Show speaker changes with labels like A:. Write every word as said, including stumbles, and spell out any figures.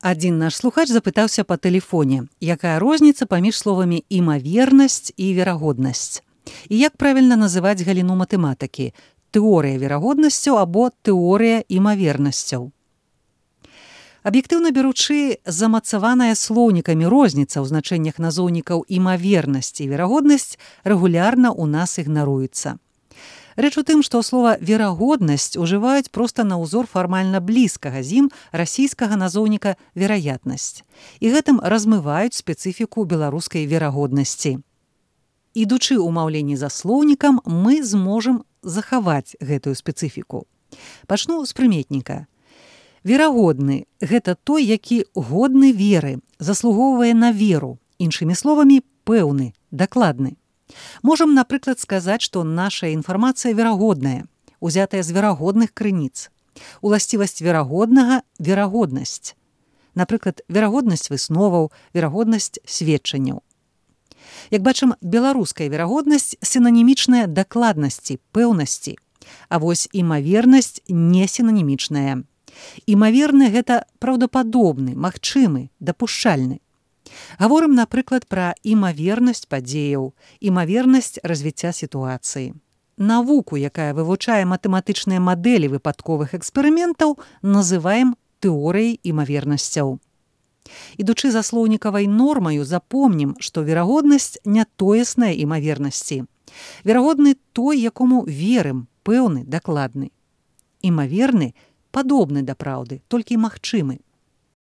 A: Адзін наш слухач запытаўся па тэлефоне, якая розніца паміж словамі імавернасць і верагоднасць. І як правільна называць галіну матэматыкі – тэорыя верагоднасцяў або тэорыя імавернасцяў. Аб'ектыўна беручы, замацаваная слоўнікамі розніца ў значэннях назоўнікаў імавернасць і верагоднасць рэгулярна ў нас ігнаруецца. Рэч у тым, што слова «верагоднасць» ужываюць проста на ўзор фармальна блізкага з ім расійскага назоўніка «вераятнасць». І гэтым размываюць спецыфіку беларускай верагоднасці. Ідучы ў маўленні за слоўнікам, мы зможам захаваць гэтую спецыфіку. Пачну з прыметніка. Верагодны – гэта той, які годны веры, заслугоўвае на веру, іншымі словамі, пэўны, дакладны. Можам, напрыклад, сказаць, што наша інфармацыя верагодная, узятая з верагодных крыніц. Уласцівасць верагоднага – верагоднасць. Напрыклад, верагоднасць высноваў, верагоднасць сведчанняў. Як бачым, беларуская верагоднасць сінанімічная дакладнасці, пэўнасці, а вось імавернасць не сінанімічная. Імаверны – гэта праўдападобны, магчымы, дапушчальны. Гаворым, напрыклад, пра імавернасць падзеяў, імавернасць развіцця сітуацыі. Навуку, якая вывучае матэматычныя мадэлі выпадковых эксперыментаў, называем тэорыяй імавернасцяў. Ідучы за слоўнікавай нормаю, запомнім, што верагоднасць не тоесная імавернасці. Верагодны той, якому верым, пэўны, дакладны. Імаверны – падобны да праўды, толькі магчымы.